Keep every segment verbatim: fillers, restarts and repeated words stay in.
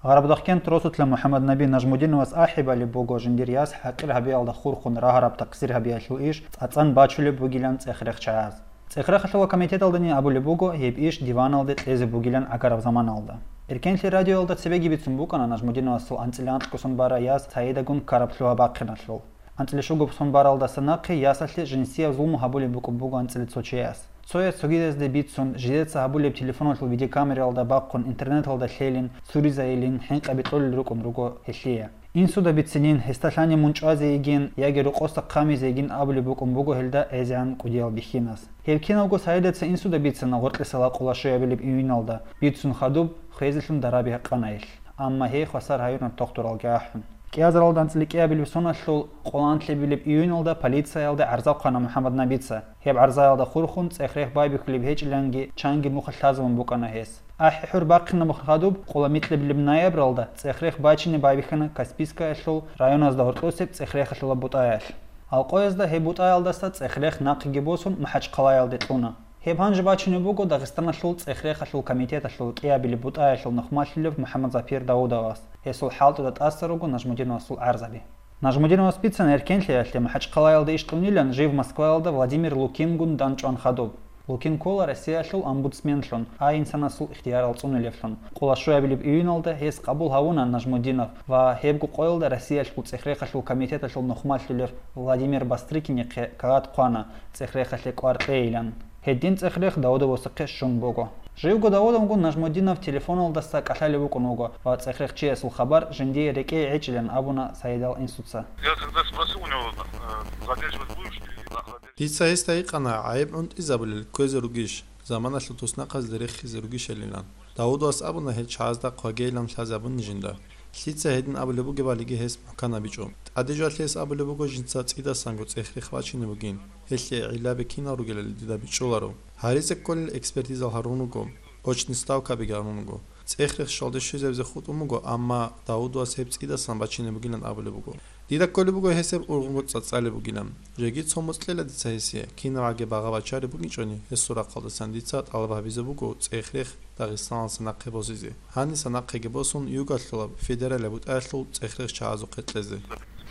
Гъарабдахкент росулъа МухӀаммаднаби Нажмудиновас ахӀи балеб буго жиндир яс хӀакъир гьабиялда хурхун рагьараб такъсир гьабиялъул иш цӀацӀан бачулеб бугилан цӀех-рех чагӀаз. ЦӀех-рехалъула комитеталдани абулеб буго гьеб иш диваналде кьезе бугилан гӀагараб заманалда. Эркенлъи радиоялда цебеги бицун букӀана Нажмудиновасул анцӀила анкьго сон бара яс Саидагун ккараб лъугьа-бахъиналъул. АнцӀила щуго сон баралдаса нахъе ясалъе жинсияб зулму гьабулеб букӀун буго анцӀила цо чияс. Цояс цогидазде бицун, жидеца гьабулеб телефоналъул видеокамералда бахъун, интернеталда лъелин, цуризайилин, хӀинкъаби кьолел рукӀун руго гьелъие. Инсуда бицинин, гьесда лъани мун чӀвазе йигин яги рокъоса хъамизе йигин абулеб букӀун буго гьелда гӀезегӀан кӀудиял бихьинас. Гьеб киналго Саидаца инсуда бицана гъоркьиса лакъула щуябилеб июналда, бицун хадуб, хвезелъун дараби гьакъана гьелъ. Амма гьей хвасар гьаюна тохтуралги ахӀун. КӀиазаралда анцӀила кӀиабилеб соналъул къоланлъебилеб июналда полициялде гӀарза хъвана МухӀаммаднабица. Гьеб гӀарзаялда хурхун цӀех-рех байбихьулеб гьечӀиланги чанги нухалъ лъазабун букӀана гьес. АхӀи-хӀур бахъинаб хадуб, къоламикълъабилеб ноябралда цӀех-рех бачине байбихьана Каспийскаялъул районазда гьоркьосеб цӀех-рехалъула бутӀаялъ. Алкъоязда гьеб бутӀаялдаса цӀех-рех нахъеги босун МахӀачхъалаялде кьуна. Гьеб гьанже бачунеб буго Дагъистаналъул цӀех-рехалъул комитеталъул кӀиабилеб бутӀаялъул нухмалъулев МухӀаммадзапир Давудовас, гьесул хӀалтӀуда тӀаса руго Нажмудиновасул гӀарзаби. Нажмудиновас бицана Эркенлъиялъе МахӀачхъалаялда иш кьунилан жив Москваялда Владимир Лукингун дандчӀван хадуб. Лукин ккола Россиялъул омбудсменлъун, а инсанасул ихтиярал цӀунилевлъун. Къоло щуябилеб июналда гьес къабул гьавуна Нажмудинов ва гьебго къоялда Россиялъул цӀех-рехалъул комитеталъул нухмалъулев Владимир Бастрыкинихъе кагъат хъвана цӀех-рехалъе кӀвар кьейилан. Гьедин цӀех-рех Давудовасухъе щун буго. Живго Давудовгун Нажмудинов телефоналдаса кӀалъалев вукӀун вуго ва цӀех-рех чиясул хабар жиндие рекӀее гӀечӀилан абуна Саидал инсуца. Я когда спросил у него, э, задерживать будешь или нахуй? Дица гьесда гьикъана, гӀайиб гӀунтӀизабулел кквезе ругищ, заманалъул туснахъазде рехизе ругищалилан. Давудовас абуна гьел чагӀазда хъвагейилан лъазабуни жинда. Лъица гьедин абулеб бугебалиги гьес мухӀканабичӀо. ТӀаде жоялъе гьес абулеб буго жинца цӀидасанго цӀех-рех бачине бугин. Гьелъие гӀиллаби кинал ругелали дида бичӀчӀуларо. Гьаризе кколел экспертизал гьарун руго, очни ставкабиги гьарун руго. ЦӀех-рех щвалде щвезабизе хутӀун буго, амма Давудовас гьеб цӀидасан бачине бугилан абулеб буго. Дида кколеб буго гьесеб ургъунго цӀацӀалеб бугилан. Жеги цо моцӀ кьела дица гьесие, кинабгӀаги багъа-бачари букӀинчӀони, гьесул рахъалдасан дица тӀалаб гьабизе буго цӀех-рех Дагъистаналдаса нахъе босизе. Гьаниса нахъеги босун, югалъулаб федералияб бутӀаялъул цӀех-рех чагӀазухъе кьезе.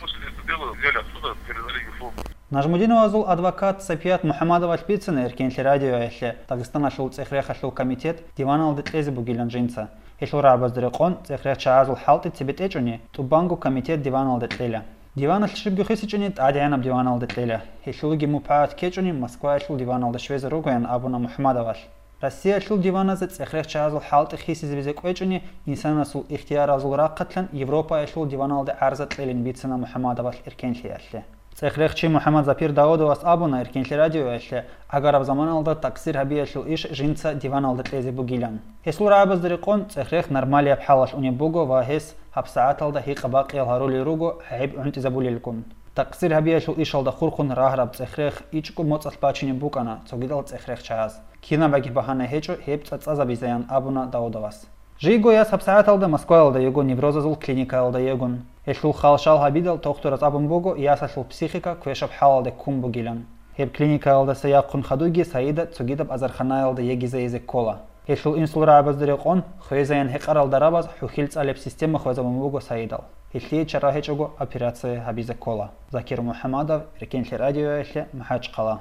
После этого дела взяли оттуда, передали ЮФО. Нажмудиновазул адвокат Сапият МухӀаммадовалъ бицана Эркенлъи радиоялъе Дагъистаналъул цӀех-рехалъул комитет диваналде кьезе бугилан жинца. Гьелъул рагӀабазда рекъон цӀех-рех чагӀазул хӀалтӀи цебетӀечӀони, тӀубанго комитет диваналде кьела. Диваналъ щибго хисичӀони тӀадегӀанаб диваналде кьела. Гьелъулги мупагӀат ккечӀони Москваялъул диваналде щвезе ругоян абуна МухӀаммадовалъ. Россиялъул диваназе цӀех-рех чагӀазул хӀалтӀи хисизабизе кӀвечӀони, инсанасул ихтияразул рахъалъан Европаялъул диваналде гӀарза кьелин бицана МухӀаммадовалъ Эркенлъиялъе. ЦӀех-рехчи МухӀаммадзапир Давудовас абуна Эркенлъи радиоялъе, гӀагараб заманалда такъсир гьабиялъул иш жинца диваналда кьезе бугилан. Гьесул рагӀабазда рекъон цӀех-рех нормалияб хӀалалъ унеб буго ва гьес гьабсагӀаталда гьикъа-бакъиял гьарулел руго гӀайиб гӀунтӀизабулелгун. Такъсир гьабиялъул ишалда хурхун рагьараб цӀех-рех ичӀго моцӀалъ бачинеб букӀана цогидал цӀех-рех чагӀаз. Кинабаги багьана гьечӀо гьеб цӀацӀазабизаян абуна Давудовас. Жийго яс гьабсагӀаталда Москваялда йиго неврозазул клиникаялда йигун. Гьелъул хал-шал гьабидал тохтураз абун буго ясалъул психика квешаб хӀалалде ккун бугилан. Гьеб клиникаялдаса яхъун хадуги Саида цогидаб азарханаялда йигизайизе ккола. Гьелъул инсул рагӀабазда рекъон хвезаян гьекъарал дарабаз хӀухьил цӀалеб система хвезабун буго Саидал. Гьелъие чара гьечӀого операция гьабизе ккола. Закир МухӀамадов, Эркенлъи радиоялъе, МахӀачхъала.